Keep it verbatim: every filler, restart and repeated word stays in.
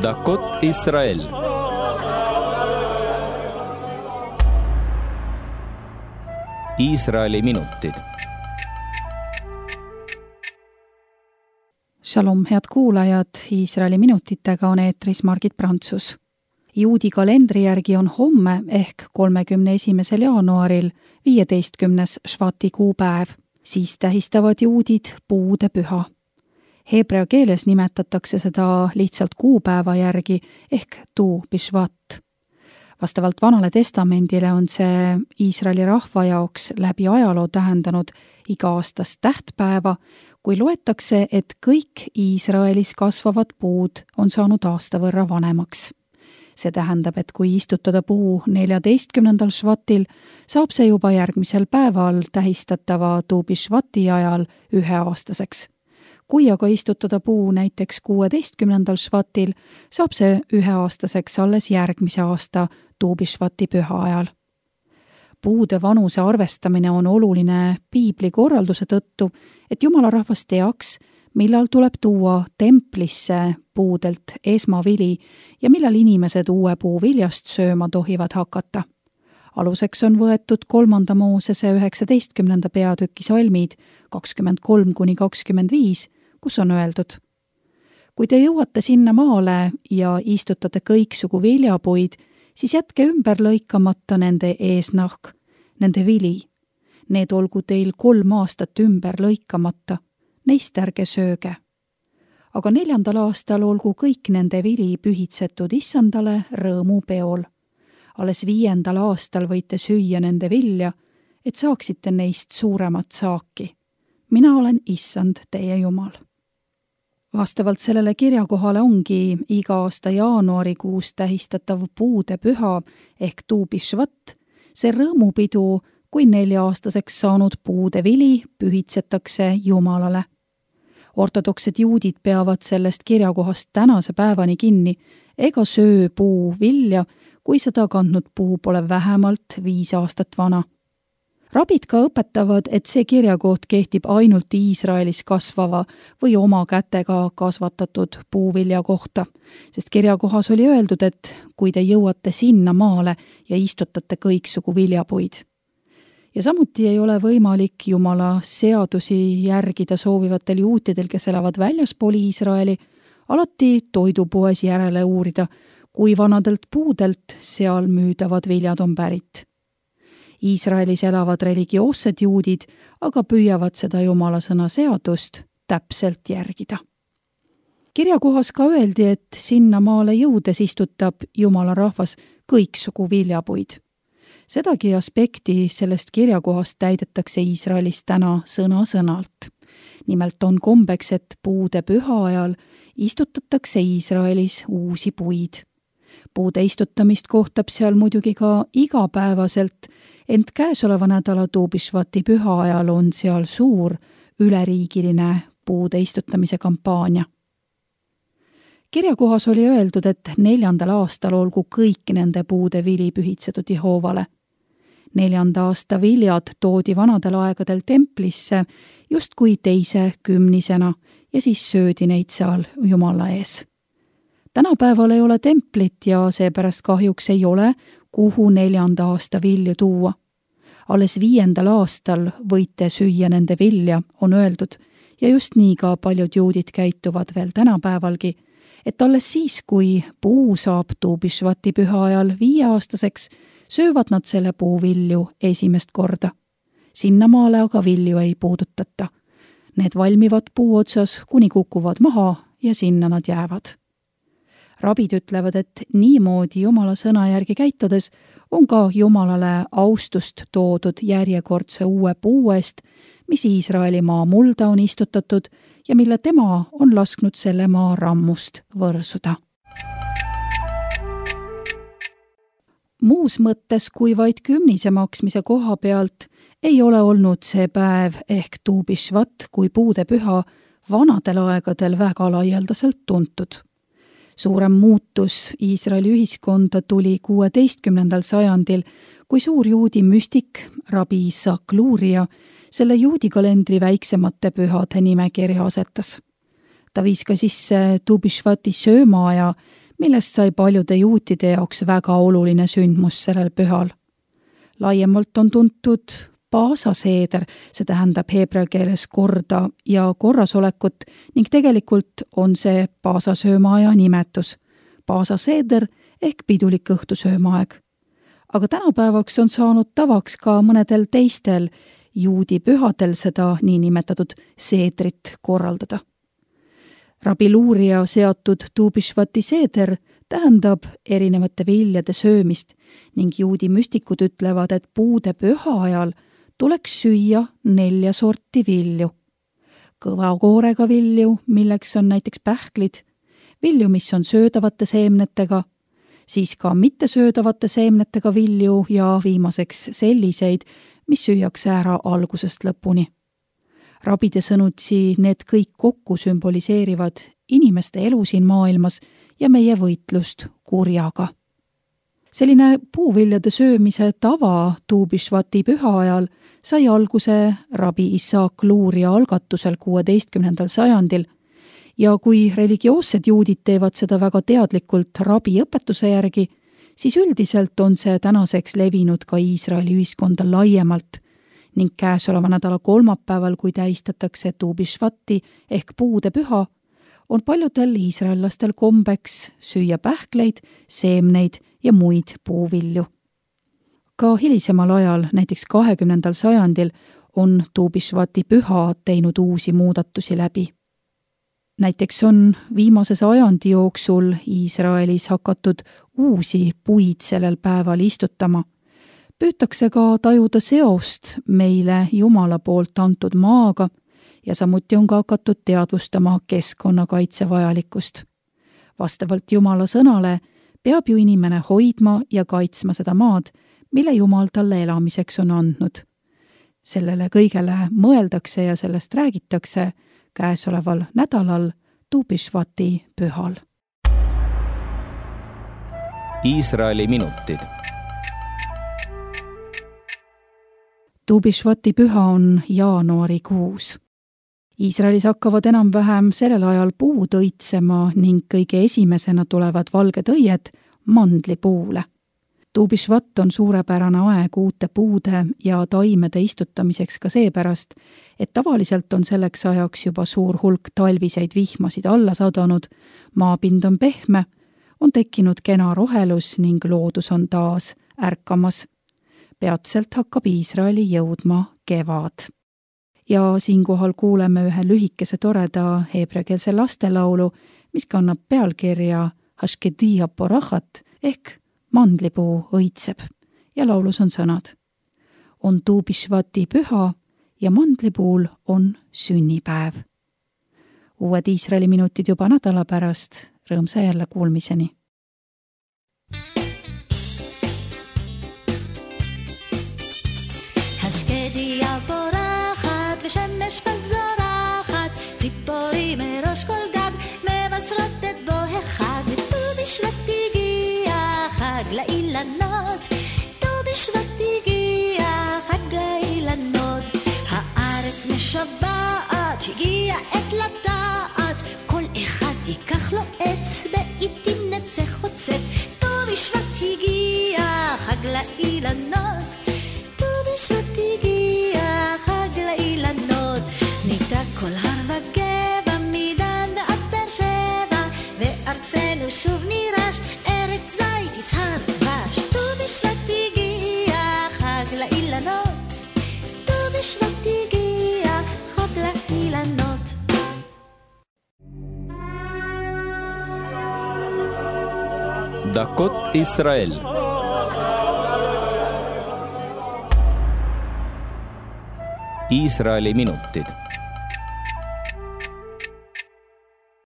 דקות ישראל. Iisraeli minutid. Shalom, head kuulajad, Iisraeli minutitega on eetris Margit Prantsus. Juudi kalendri järgi on homme ehk kolmekümne esimesel jaanuaril viieteistkümnes Švati kuupäev. Siis tähistavad juudid puude püha. Heebrea keeles nimetatakse seda lihtsalt kuupäeva järgi ehk Tu Bishvat. Vastavalt Vanale testamendile on see Iisraeli rahva jaoks läbi ajaloo tähendanud iga-aastast tähtpäeva, kui loetakse, et kõik Iisraelis kasvavad puud on saanud aasta võrra vanemaks. See tähendab, et kui istutada puu neljateistkümnendal Švatil, saab see juba järgmisel päeval tähistatava Tu Bishvati ajal üheaastaseks. Kui aga istutada puu näiteks kuueteistkümnendal Švatil, saab see üheaastaseks alles järgmise aasta Tu Bishvati püha ajal. Puude vanuse arvestamine on oluline piibli korralduse tõttu, et Jumala rahvas teaks, millal tuleb tuua templisse puudelt esmavili ja millal inimesed uue puu viljast sööma tohivad hakata. Aluseks on võetud kolmanda Moosese üheksateistkümnenda peatüki salmid kakskümmend kolm kuni kakskümmend viis, kus on öeldud: kui te jõuate sinna maale ja istutate kõiksugu viljapuid, siis jätke ümber lõikamata nende eesnahk, nende vili. Need olgu teil kolm aastat ümber lõikamata, neist ärge sööge. Aga neljandal aastal olgu kõik nende vili pühitsetud issandale rõõmupeol. Alles viiendal aastal võite süüa nende vilja, et saaksite neist suuremat saaki. Mina olen issand teie Jumal. Vastavalt sellele kirjakohale ongi iga aasta jaanuarikuus tähistatav puude püha ehk Tu Bishvat, see rõõmupidu, kui nelja-aastaseks saanud puude vili pühitsetakse Jumalale. Ortodoksed juudid peavad sellest kirjakohast tänase päevani kinni ega söö puu vilja, kui seda kandnud puu pole vähemalt viis aastat vana. Rabid ka õpetavad, et see kirjakoht kehtib ainult Iisraelis kasvava või oma kätega kasvatatud puuvilja kohta, sest kirjakohas oli öeldud, et kui te jõuate sinna maale ja istutate kõiksugu viljapuid. Ja samuti ei ole võimalik Jumala seadusi järgida soovivatel juutidel, kes elavad väljaspool Iisraeli, alati toidupoes järele uurida, kui vanadelt puudelt seal müüdavad viljad on pärit. Iisraelis elavad religioossed juudid, aga püüavad seda Jumala sõna seadust täpselt järgida. Kirjakohas ka öeldi, et sinna maale jõudes istutab Jumala rahvas kõiksugu viljapuid. Sedagi aspekti sellest kirjakohast täidetakse Iisraelis täna sõna-sõnalt. Nimelt on kombeks, et puude püha ajal istutatakse Iisraelis uusi puid. Puude istutamist kohtab seal muidugi ka igapäevaselt, ent käesoleva nädala Tu Bishvati püha ajal on seal suur üleriigiline puude istutamise kampaania. Kirjakohas oli öeldud, et neljandal aastal olgu kõik nende puude vili pühitsetud Jehoovale. Neljanda aasta viljad toodi vanadel aegadel templisse justkui teise kümnisena ja siis söödi neid seal Jumala ees. Tänapäeval ei ole templit ja seepärast kahjuks ei ole, kuhu neljanda aasta vilju tuua. Alles viiendal aastal võite süüa nende vilja, on öeldud, ja just nii ka paljud juudid käituvad veel tänapäevalgi, et alles siis, kui puu saab Tu Bishvati püha ajal viieaastaseks, söövad nad selle puu vilju esimest korda. Sinnamaale aga vilju ei puudutata. Need valmivad puu otsas, kuni kukuvad maha ja sinna nad jäävad. Rabid ütlevad, et niimoodi Jumala sõna järgi käitudes on ka Jumalale austust toodud järjekordse uue puu eest, mis Iisraeli maa mulda on istutatud ja mille tema on lasknud selle maa rammust võrsuda. Muus mõttes kui vaid kümnise maksmise koha pealt ei ole olnud see päev ehk Tu Bishvat kui puude püha vanadel aegadel väga laialdaselt tuntud. Suurem muutus Iisraeli ühiskonda tuli kuueteistkümnendal sajandil, kui suur juudi müstik rabi Isaac Luria selle juudi kalendri väiksemate pühade nimekirja asetas. Ta viis ka sisse Tu Bishvati söömaaja, millest sai paljude juutide jaoks väga oluline sündmus sellel pühal. Laiemalt on tuntud Paasa seeder, see tähendab heebrea keeles korda ja korrasolekut ning tegelikult on see Paasa söömaaja nimetus. Paasa seeder ehk pidulik õhtusöömaaeg. Aga tänapäevaks on saanud tavaks ka mõnedel teistel juudi pühadel seda niinimetatud seedrit korraldada. Rabbi Luuria seatud Tu Bishvati seeder tähendab erinevate viljade söömist ning juudi müstikud ütlevad, et puude püha ajal tuleks süüa nelja sorti vilju. Kõva koorega vilju, milleks on näiteks pähklid, vilju, mis on söödavate seemnetega, siis ka mittesöödavate seemnetega vilju ja viimaseks selliseid, mis süüakse ära algusest lõpuni. Rabide sõnutsi need kõik kokku sümboliseerivad inimeste elu siin maailmas ja meie võitlust kurjaga. Selline puuviljade söömise tava Tu Bishvati püha ajal sai alguse Rabbi Issaak Luuria algatusel kuueteistkümnendal sajandil ja kui religioossed juudid teevad seda väga teadlikult rabi õpetuse järgi, siis üldiselt on see tänaseks levinud ka Iisraeli ühiskonda laiemalt ning käesoleva nädala kolmapäeval, kui tähistatakse Tu Bishvati ehk puude püha, on paljudel iisraellastel kombeks süüa pähkleid, seemneid ja muid puuvilju. Ka hilisemal ajal, näiteks kahekümnendal sajandil, on Tu Bishvati püha teinud uusi muudatusi läbi. Näiteks on viimase sajandi jooksul Iisraelis hakatud uusi puid sellel päeval istutama. Püütakse ka tajuda seost meile Jumala poolt antud maaga ja samuti on ka hakatud teadvustama keskkonnakaitse vajalikkust. Vastavalt Jumala sõnale peab ju inimene hoidma ja kaitsma seda maad, mille Jumal talle elamiseks on andnud. Sellele kõigele mõeldakse ja sellest räägitakse käesoleval nädalal Tu Bishvati pühal. Iisraeli minutid. Tu Bishvati püha on jaanuarikuus. Iisraelis hakkavad enam-vähem sellel ajal puud õitsema ning kõige esimesena tulevad valged õied mandlipuule. Tu Bishvat on suurepärane aeg uute puude ja taimede istutamiseks ka seepärast, et tavaliselt on selleks ajaks juba suur hulk talviseid vihmasid alla sadanud, maapind on pehme, on tekkinud kena rohelus ning loodus on taas ärkamas. Peatselt hakkab Iisraeli jõudma kevad. Ja siinkohal kuuleme ühe lühikese toreda heebreakeelse lastelaulu, mis kannab pealkirja Hashkedia porachat ehk mandlipuu õitseb ja laulus on sõnad. On Tu Bishvati püha ja mandlipuul on sünnipäev. Uued Iisraeli minutid juba nädala pärast, rõõmsa jälle kuulmiseni. Hashkedia porachat ושמש בזורחת, ציפורים מראש כל גג מבשרות את בוא אחד, וט"ו בשבט הגיע חג לאילנות, ט"ו בשבט הגיע חג לאילנות, הארץ משבעת, הגיע עת לטעת, כל אחד ייקח לו עץ, בעיתים נצא חוצץ, ט"ו בשבט הגיע חג לאילנות, ט"ו בשבט הגיע חג לאילנות, ניתק כל הר וגבע מדן ועד באר שבע, וארצנו שוב נירש, ארץ זית יצהר ודבש, ט"ו בשבט הגיע חג לאילנות, ט"ו בשבט הגיע חג לאילנות. דקות ישראל. Iisraeli minutid.